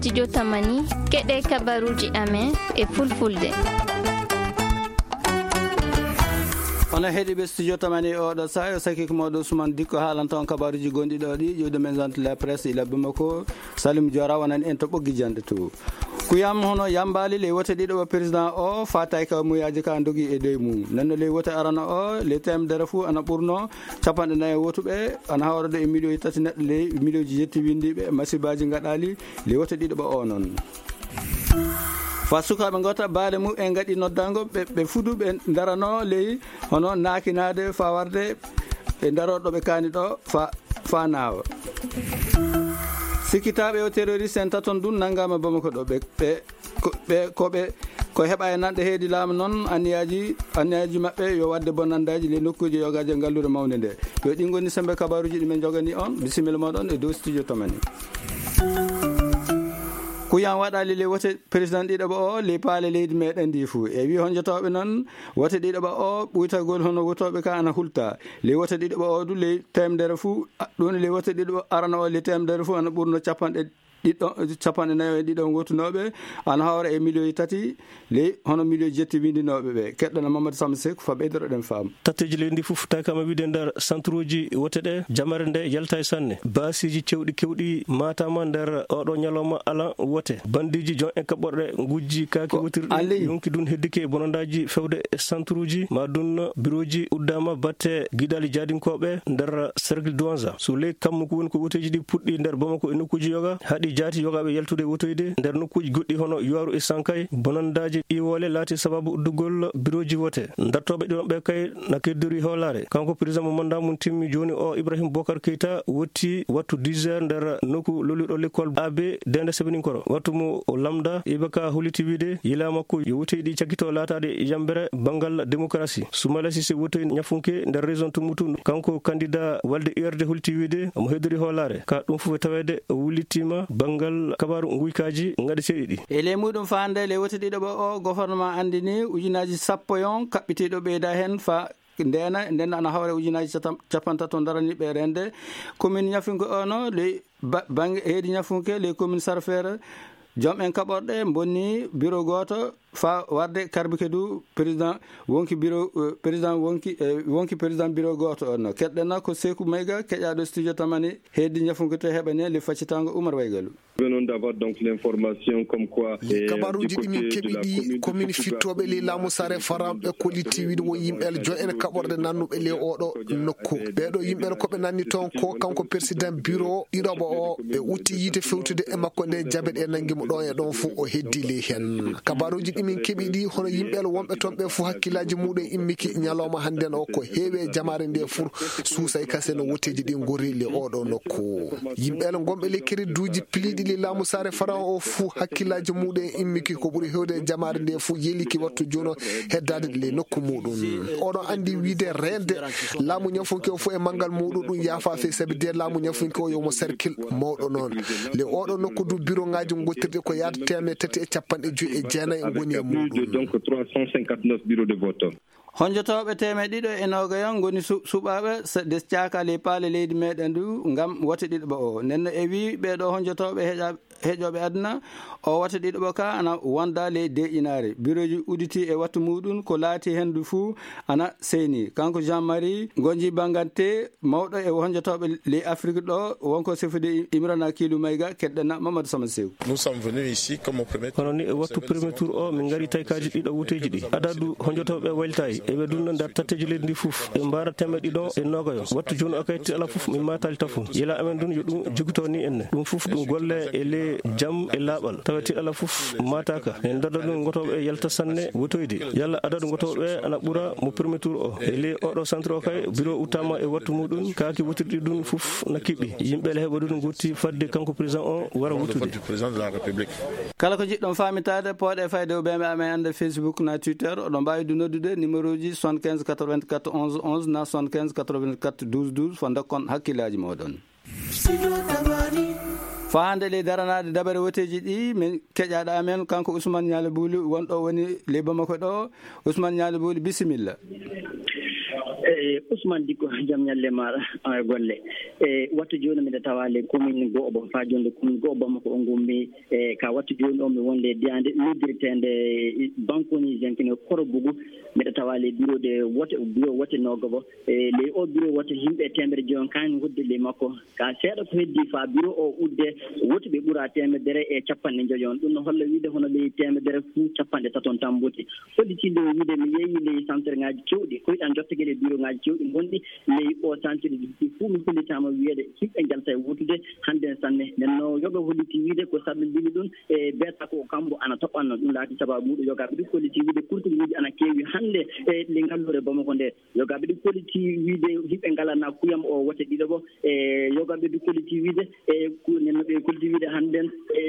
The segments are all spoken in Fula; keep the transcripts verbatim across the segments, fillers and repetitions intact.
Studio Tamani, keɗe kabaruji amen e fulfulde. Onon heɗiiɓe Studio Tamani, oɗo saha o saki ko mawɗo Ousmane Dikko haalanta on kabaruji gonɗi ɗo ɗi, ƴiwde men zone de la presse ila Bamako, Salim Diora wonani en to ɓoggi jande to. Kuyam hono yambali le wote ɗiɗo ɓa président o fatay ka muyaji ka dogi e doy mum. Nanno le wote arana o, le temedere fu ana ɓurno capanɗe nayi wotuɓe, ana hawra ɗo e miliyoji tati neɗɗo le miliyoji jetti windiɓe, masibaji gaɗali, le wote ɗiɗo ɓa o non. Fa sukaɓe gota baale mum en gaɗi noddango ɓe, ɓe fudu ɓe darano ley hono nakinade fa warde ɓe daro ɗo ɓe kani ɗo fa, fa nawa. Sikkitaɓe o terroriste en taton ɗum nangama Bamako ɗo ɓe, ɓe, ko ɓe, ko ɓe, ko heɓa e nanɗe heedi laamu noon anniyaji, anniyaji maɓɓe yo wadde bonandaji le nokkuji yogaji e ngalluure mawnde nde. Yo ɗin goni sembe kabaruji ɗi men jogani on. Bisimilla moɗon e dow studio Tamani. Kuyan waɗali le wote président ɗiɗo ɓa o le paale leydi meɗen ndi fuu. E wi honjotoɓe noon wote ɗiɗo ɓa o ɓuytagol hono wotoɓe ka ana hulta. Le wote ɗiɗo ɓa o du le temedere fuu, a, ɗum le wote ɗiɗo ɓa arana o le temedere fuu ana ɓurno capanɗe ɗiɗo, capanɗe nayo e ɗiɗo wotunooɓe, ana hawra e miliyoji tati, ley hono miliyoji jetti windinooɓe ɓe. Keɗɗana Mamadou Samba Seck fa ɓeydoroɗen faamu. Tatteeji leydi ndi fof tawi kam e wiide nder centre uji wote ɗe, jamare nde yalta e sanne. Baasiji cewɗi kewɗi matama nder oɗo ñalawma ala wote. Bandiji jon e kaɓɓorɗe ngujji kaaki wotirɗi, yonki dun heddike e bonondaji fewde e centre uji, ma dun bureau ji uddama batte giɗali jaadinkoɓe nder cercle Douanza. So ley kammu ko woni ko woteji ɗi puɗɗi nder Bamako e nokkuji yoga, haɗi jaati yogaɓe yaltude e wotoyde nder nokkuji goɗɗi hono Yuwaru e Sankay. Bonondaji iwole laati sababu uddugol bureauji wote. Dartoɓe ɗiɗon ɓe kay na keddori hewlare. Kanko président mo mandat mum timmi joni o, Ibrahim Bokar Keita, wotti wattu dix heures nder nokku lolluɗo l'école A B Dende Sebeninkoro. Wattu mo o lamda, Ibaka holiti wiide yila makko yo wotoyɗi cakkito laatade yambere bangal démocratie. Soumala Cissé wotoy ñafunke nder région Tombouctou. Kanko candidat walde U R D holti wiide omo heddori hoolare. Ka ɗum fof e taweede o wullitima bangal kabaru nguykaji ngaɗeteɗi ɗi. E ley muɗum faande ley wote ɗiɗo ɓo o gouvernement andini ujunaji sappo yon kaɓɓitiɗo ɓeyda hen fa ndena, nden ana hawre ujunaji catam-, capantato daraniɓe rende. Commune ñafunke ono ley ba-, bange heedi ñafunke ley commune Sarfere. Joom en kaɓorɗe bonni bureau gooto fa warde karbike du président wonki bureau, eh, président wonki, eh, wonki président bureau gooto on. Keɗɗena ko Seeku Mayga keƴaɗo studio Tamani heedi ñafunke to heɓane le faccitango Oumar Waygalu. Venons d'avoir donc l'information comme quoi, eh, kabaruji ɗi min keɓi ɗi komin fittooɓe ley laamu sare faranɓe kolliti wiide wo yimɓe joom en kaɓorɗe nannuɓe ley oɗo nokku. Ɓeeɗo yimɓe ko ɓe nanni toon ko kanko président bureau ɗiɗoɓo o, ɓe utti yiite fewtude e makko nde jabe ɗe nangi mo ɗo e ɗon fof o heddi ley hen. Kabaruji ɗi min keɓi ɗi hono yimɓe wonɓe toon ɓe fof hakkillaji muɗum immiki ñalawma hannden o ko heewi e jamaare nde fof suusay kase no woteji ɗi ngori ley oɗo nokku. Yimɓe gonɓe ley kereduji piliɗi ley laamu sare faran o fof hakkillaji muɗum immiki ko ɓuri hewde e jamaare nde fof yeliki wattu jono heddade ley nokku muɗum. Oɗon andi wiide rende laamu ñafunke o fof e mangal muɗum ɗum yaafa fey sabi de laamu ñafunke o yomo cercle mawɗo noon. Le oɗo nokku du bureau ngaji gottirɗi ko yaade teemeɗɗe tati e capanɗe joyi e jeenayi ngoni e muɗum. Donc trois cent cinquante-neuf bureaux de vote. Honjotooɓe teemeɗɗe ɗiɗo e nogayon ngoni su-, suɓaaɓe se-, des caaka ley paale leydi meɗen du ngam wote ɗiɗo ɓo o. Nenno e wi ɓeɗo honjotooɓe heƴa-, heƴoɓe aduna o wote ɗiɗo ɓo ka ana wonda ley deƴƴinaare. Bureauji uditi e wattu muɗum ko laati hen du fuu ana seyni. Kanko Jean-Marie Gonji Bangante, mawɗo e honjotooɓe ley Afrique ɗo, wonko sefude Imrana Kilu Mayga, keɗɗana Mamadou Sama Sew. Nous sommes venus ici comme au premier tour. Hono ni e wattu premier tour o, min ngari taykaji ɗiɗo woteji ɗi. Adadu honjotooɓe waylitayi. Eɓe dunna nder tatteji leydi ndi fof. Ɓe mbara temeɗɗe ɗiɗo e nogayo. Wattu joni o kay tiɗala fof, min matali tafo. Yila amen dun yo ɗum jogito ni enne. Ɗum fof ɗum golle e le jam e laaɓal. Tawa tiɗala fof mataka. En dada ɗum gotoɓe e yalta sanne wotoyde. Yalla adadu gotoɓe ana ɓura mo premier tour o. E le oɗo centre o kay, bureau uttama e wattu muɗum, kaaki wotirɗi ɗum fof na kiɓɓi. Yimɓe le heɓa ɗum gotti fadde kanko président o wara wottude. Kala ko jiɗɗon famitade, pooɗe fayde o ɓe amen ande Facebook na Twitter, oɗon mbawi du noddude numéro ji soixante-quinze quatre-vingt-quatre onze onze na soixante-quinze quatre-vingt-quatre douze douze, fo dokkon hakkillaji moɗon. Fa hande ley daranaade dabare woteji ɗi, min keƴaɗo amen, kanko Ousmane Nialy Bouli, wonɗo woni ley Bamako ɗo. Ousmane Nialy Bouli, bisimilla. Eyi, Ousmane Dikko, jam ñalle maaɗa, e golle. E wattu jooni, miɗo tawaale commune Go'obo, faa jonde commune Go'obo Bamako o ngummi. E ka wattu jooni o, mi wonde diyaande noddirteende Bankoni Jenkino Korobugu. Miɗo tawaale bureau de wote, bureau wote Nogobo. E ley o bureau wote, yimɓe teemedere joyi on kaani wonde ley makko. Ka seeɗa ko heddi faa bureau o udde, wotuɓe ɓura teemedere e capanɗe joyi on. Ɗum no holla wiide hono ley teemedere fuu capanɗe tato on tan mboti. Hollitiinde wiide mi yeeyi ley santerŋaaji keewɗi, koyɗan jottagel e bureauŋaaji keewɗi ngonɗi ley o santere ɗi fuu, mi hollitaama wiyeede yimɓe njalta e wotude hannde sanne. Nden no yoga holliti wiide ko sababu mbili ɗum e beeta ko kambo ana toɓɓanno. Ɗum laati sababu ɗum. Yogaaɓe ɗum holliti wiide kurtuŋaaji ana keewi hannde e le ngalluure Bamako nde. Yogaaɓe ɗum holliti wiide yimɓe ngalana kuyam o wote ɗiɗo bo. E yogaaɓe ɗum holliti wiide e ku-, nen no ɓe holliti wiide hannden e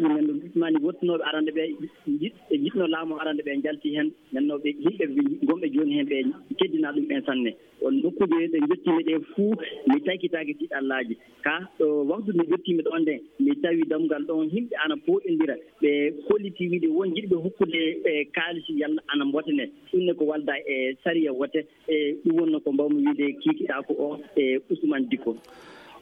nen no mani wottunooɓe arande ɓe njiɗ-, e njiɗno laamu arande ɓe njalti heen. Nden no ɓe yimɓe ɓe gonɓe jooni heen ɓe teddina ɗum en sanne. On nokkuuje ɗe njottiimi ɗe fuu, mi taykitaake tiiɗallaaji. Ka ɗo waktu nde njottiimi ɗoon nde, mi tawi dammugal ɗoon yimɓe ana pooɗondira. Ɓe holliti wiide won jiɗɓe hokkude, e, kaalisi yalla ana mbotane. Ɗum ne ko walda e sariya wote. E ɗum wonno ko mbawmi wiide kiikiɗaaku o, e, Ousmane Dikko.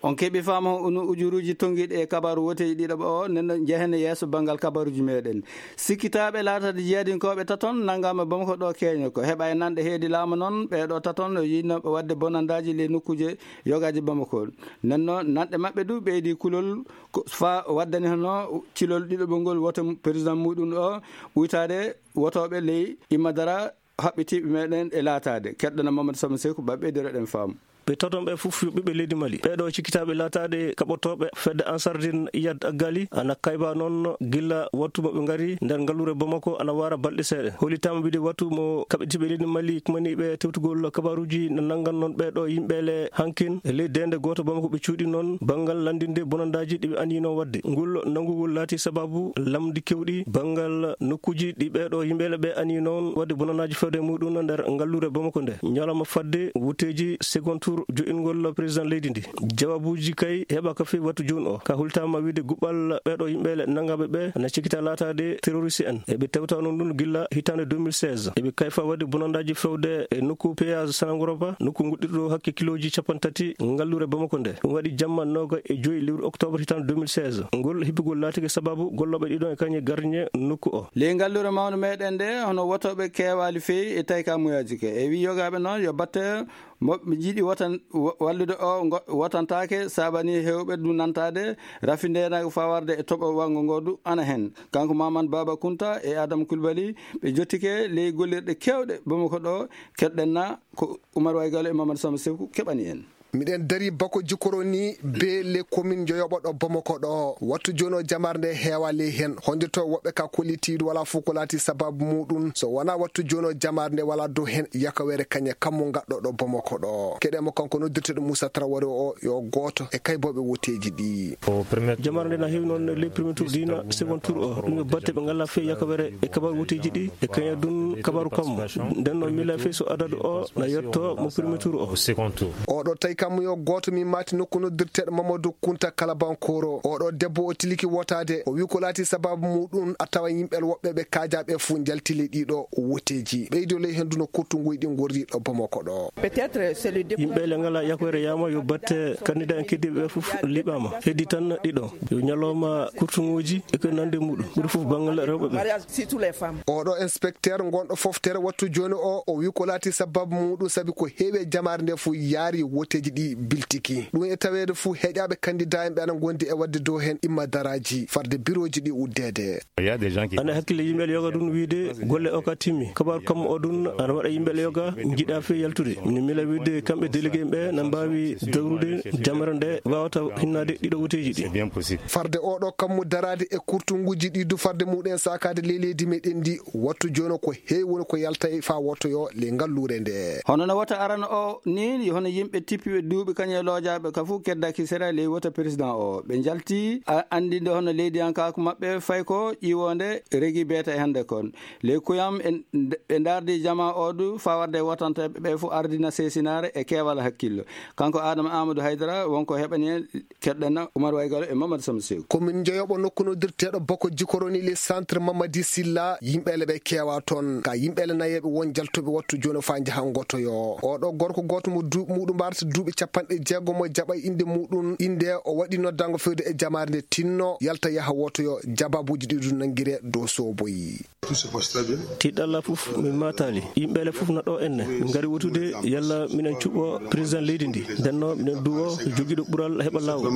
On keɓi faama unu ujuruuji tonngiiɗi e kabaaru woteeji ɗiɗaɓo o, nden no njehen yeeso banngal kabaaruuji meɗen. Sikkitaaɓe laatade jeyadinkooɓe taton nanngaama Bamako ɗo keeño ko heɓa e nanɗe heedi laamu noon, ɓee ɗo taton no yiɗnooɓe waɗde bonandaaji ley nokkuuje yogaaji Bamako. Nden noon nanɗe maɓɓe du ɓeydi kulol ko faa waddani hono cilol ɗiɗaɓo ngol wote président muɗum o uytaade wotooɓe ley Imma Dara haɓɓitiiɓe meɗen e laataade. Keɗɗana Mamadou Samba Seku, ɓe ɓeydoro ɗen faamu. Ɓe taton ɓe fof yo ɓiɓɓe leydi Mali. Ɓee ɗo cikkitaaɓe laataade kaɓotooɓe fedde Ansardine Iyad Aggali, ana kayba noon gilla wattu mo ɓe ngari nder ngalluure Bamako ana waara balɗe seeɗa. Hollitaama wiide wattu mo kaɓitiiɓe leydi Mali kumaniiɓe tewtugol kabaaruuji no nanngan noon ɓee ɗo yimɓe le hankin e ley deende gooto Bamako ɓe cuuɗi noon banngal lanndinde bonandaaji ɗi ɓe aniyino waɗde. Ngol nanngugol laati sababu lamndi kewɗi banngal nokkuuji ɗi ɓee ɗo yimɓe le ɓe anii noon waɗde bonanaaji fewde muɗum nder ngalluure Bamako nde. Ñalawma fadde woteeji second tour joɗɗingol président leydi ndi. Jawaabuuji kay heɓaaka feewi wattu jooni o. Ka hultaama wiide guɓɓal ɓee ɗo yimɓe le nanngaaɓe ɓe na cikkita laataade terroriste en. Eɓe tewta noon ɗum gilla hitaande deux mille seize. Eɓe kayfa waɗde bonandaaji fewde e nokku péage Sanangoroba, nokku nguɗɗirɗo hakke kilooji capanɗe tati ngalluure Bamako nde. Ɗum waɗi jamma nooga e joyi lewru octobre hitaande deux mille seize. Ngol hippugol laatike sababu gollooɓe ɗiɗon e kañe gardien nokku o. Ley ngalluure mawnde meɗen nde, hono wotooɓe keewaali feewi e tayka muyaaji ke. E wi yogaaɓe noon yo batte mo ɓe njiɗi wotan-, wa-, wallude o ngo-, wotantaake, saabani heewɓe ɗum nantaade, rafi ndeenaagu fawarde e toɓo wanngo ngo du ana heen. Kanko Maman Baba Kunta e Adam Kulbali, ɓe jottike ley gollirɗe keewɗe Bamako ɗo, keɗɗen na ko Umar Waygalo e Mamadou Samba Seku keɓani en. Miɗen dari bako jikoro ni be le commune joyoɓo ɗo Bamako ɗo. Wattu jono jamar nde heewa ley hen. Hondirto woɓɓe ka kolliti wala fof ko laati sababu muɗum. So wona wattu jono jamar nde wala dow hen yakawere kañe kammu gaɗɗo ɗo Bamako ɗo. Keɗe mo kanko noddirteɗo Moussa Traoré o yo gooto e kayboɓe woteeji ɗi. Jamar nde na heewi noon le premier tour dina second tour o. Ɗum yo batte ɓe ngala fe yakawere e kabar woteeji ɗi. E kaña ɗum kabaru kammu. Nden noon mila fe so adadu o na yetto mo premier tour o. Oɗo tawi kammu yo gooto mi maati nokku noddirteɗo Mamadou Kunta Kalabankoro. Oɗo debbo o tiliki wotaade. O wi ko laati sababu muɗum a tawa yimɓe woɓɓe ɓe kaajaɓe fuu njalti ley ɗiɗo woteeji. Ɓeydo ley hen duno kurtunguji ɗi ngorri ɗo Bamako ɗo. Yimɓe le ngala yakore yama yo batte candidat en keddiɓe ɓe fof liɓama. Heddi tan ɗiɗo. Yo ñalawma kurtunguji e ko nandi muɗum. Ɓuri fof banngal rewɓe ɓe. Oɗo inspecteur gonɗo foftere wattu jooni o, o wi ko laati sababu muɗum sabi ko heewi e jamaare nde fof yaari woteeji ɗi biltiki. Ɗum e taweede fof heƴaaɓe candidat en ɓe ana ngondi e waɗde dow heen imma daraaji farde birooji ɗi uddeede. Ana hakkille yimɓe yoga ɗum wiide golle o ka timmi. Kabaru kammu o ɗum ana waɗa yimɓe yoga njiɗa fe yaltude. Min mila wiide kamɓe délégué ɓe na mbaawi dawrude jamare nde wawata hinnaade ɗiɗo woteeji ɗi. Farde oɗo kammu daraade e kurtunguji ɗi du farde muɗum sakaade ley leydi meɗen ndi wattu jooni ko heewi woni ko yalta e fa wottoyo le ngalluure nde. Hono no wota arano o ni, hono yimɓe tippiɓe duuɓi kañum e loojaaɓe ka fof keddaki sera ley wota président o. Ɓe njalti a-, anndinde hono leydiyankaaku maɓɓe fay ko ƴiwonde regi beeta e hannde kon. Ley kuyam en, ɓe ndaardi jama o du faa warde e wotanteeɓe ɓe fof ardina seesinaare e keewal hakkillo. Kanko Adama Amadou Haydara wonko heɓani en keɗɗana Oumar Waygalo e Mamadou Samba Seeku. Ko min njeyoɓo nokku noddirteeɗo Boko Jikoroni le centre Mamadi Silla, yimɓe le ɓe keewa toon. Ka yimɓe le nayeɓe won jaltuɓe wattu jooni faa njaha ngotoyo. Oɗo gorko gooto mo du-, muɗum mbarata duuɓi capanɗe jeegom mo jaɓa innde muɗum, innde o waɗi noddango fewde e jamaare nde tinno, yalta yaha wotoyo, jababuuji ɗi ɗum nanngire dow sooboyi. Tiɗalla fof min maataali. Yimɓe le fof na ɗo enne. Min ngari wotude yalla minen cuɓɓo président leydi ndi. Ndenno minen duwo jogiiɗo ɓural heɓa laawol.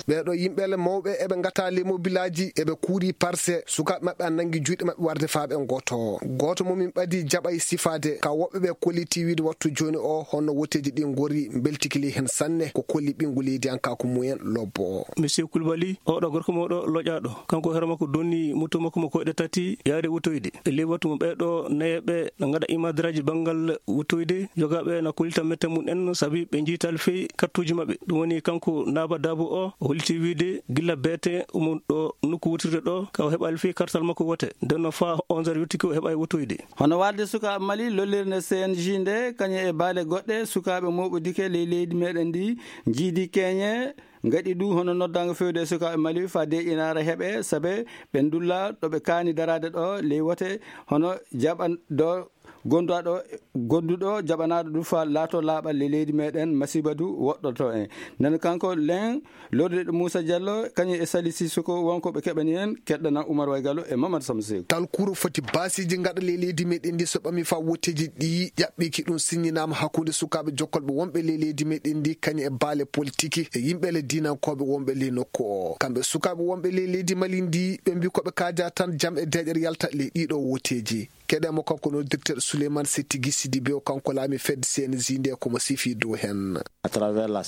Ɓeeɗo yimɓe le mawɓe eɓe ngata ley mobilaaji, eɓe kuuri parse. Sukaaɓe maɓɓe a nanngi juuɗe maɓɓe warde faa ɓe ngoto. Gooto mo min ɓadi jaɓay sifaade. Ka woɓɓe ɓe kolliti wiide wattu jooni o honno woteeji ɗi ngori, mbeltiki ley heen sanne. Ko kolli ɓinngu leydiyankaaku mumen lobbo. Monsieur Koulibaly, oɗo gorko mawɗo loƴaaɗo. Kanko hoore makko donni moto makko mo koyɗe tati yaade wotoyde. E ley wattu mo ɓeeɗo nayeɓe na ngaɗa imadraaji banngal wotoyde, jogaaɓe na kollita mette mum en sabi ɓe njiytaali fey kartuuji maɓɓe. Ɗum woni kanko Naba Dabo o, o holliti wiide gilla beete omo ɗo nokku wotirde ɗo, ka o heɓaali fey kartal makko wote. Nden no faa onze heures yottiki o heɓaali wotoyde. Hono waalde sukaaɓe Mali, lollirde C N J nde, kañum e baale goɗɗe, sukaaɓe mooɓodike ley leydi meɗen ndi, njiidi keñe, ngaɗi du hono noddaango fewde e sukaaɓe Mali faa deeƴinaare heɓe, sabe ɓe ndulla ɗo ɓe kaani daraade ɗo ley wote, hono jaɓan ɗo gonduɗo, gonduɗo jaɓanaaɗo du faa laato laaɓal ley leydi meɗen, masiiba du woɗɗoto en. Nden kanko len, lorriɗo Moussa Diallo, kañum e Sali Sissoko wonko ɓe keɓani en, keɗɗana Oumar Waygalo e Mamadou Samba Seeku. Talkuru foti baasiiji ngaɗa ley leydi meɗen ndi so ɓami faa wotteeji ɗi ƴaɓɓiki ɗum siññinaama hakkunde sukaaɓe jokkolɓe wonɓe ley leydi meɗen ndi, kañum e baale politiki e yimɓe le diinankooɓe wonɓe ley nokku o. Kamɓe sukaaɓe wonɓe ley leydi Mali ndi, ɓe mbi ko ɓe kaaja tan jam e deeƴere yalta ley ɗiɗo wotteeji. Keɗe mo kanko no directeur Souleymane Settigi Sidibé o, kanko laami fedde C N J nde ko mo sifi dow hen.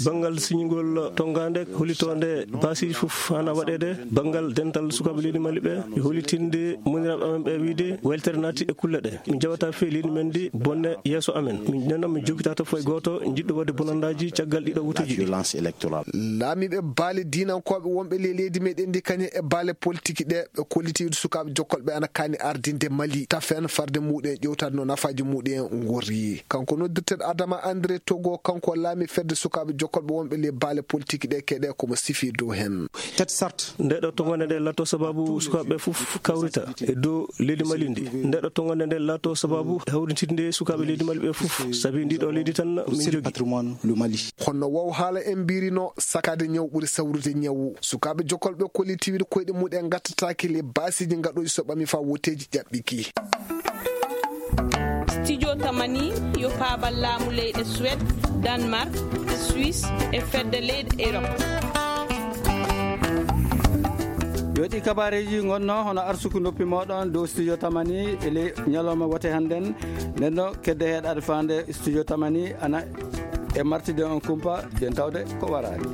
Banngal siñugol tonngaande hollitoonde baasiiji fof hana waɗeede. Banngal dental sukaaɓe leydi Mali ɓe, e hollitinde moniraaɓe amen ɓe wiide weltere naati e kulle ɗe. Min jaɓata fii leydi men ndi bonne yeeso amen. Min nenno min jokitata fof e gooto njiɗɗo waɗde bonandaaji caggal ɗiɗo wotuuji ɗi. Laamiiɓe baale diinankooɓe wonɓe ley leydi meɗen ndi kañum e baale politiki ɗe, ɓe kolliti sukaaɓe jokkolɓe ana kaani ardinde Mali. Tafen farde muɗum en ƴewtade no nafaaji muɗum en ngorri. Kanko noddirteeɗo Adama André Togo, kanko laami fedde sukaaɓe jokkolɓe wonɓe ley baale politique ɗe keɗe ko mo sifi dow hen. Nde ɗo tongande nde lato sababu sukaaɓe fof kawrita e dow leydi Mali ndi. Nde ɗo tongande nde lato sababu hawritinde sukaaɓe leydi Mali ɓe fof. Sabi ndi ɗo leydi tan min jogi. Kono wow haala en mbirino sakade ñaw ɓuri sawrude ñawu. Sukaaɓe jokkolɓe kolliti wiide koyɗe muɗum en ngattataake le baasiiji ngaɗooji so ɓami faa woteeji ƴaɓɓiki. Studio Tamani yo paabal laamu leyɗe Suède, Danemark, Suisse e fedde leyɗe Europe. Yo ɗi kabareeji ngonno hono arsuku noppi mooɗon dow Studio Tamani e ley ñalawma wote hannden. Nden no kedde heɗaade faande Studio Tamani ana e martide on kumpa, yen tawde ko waraani.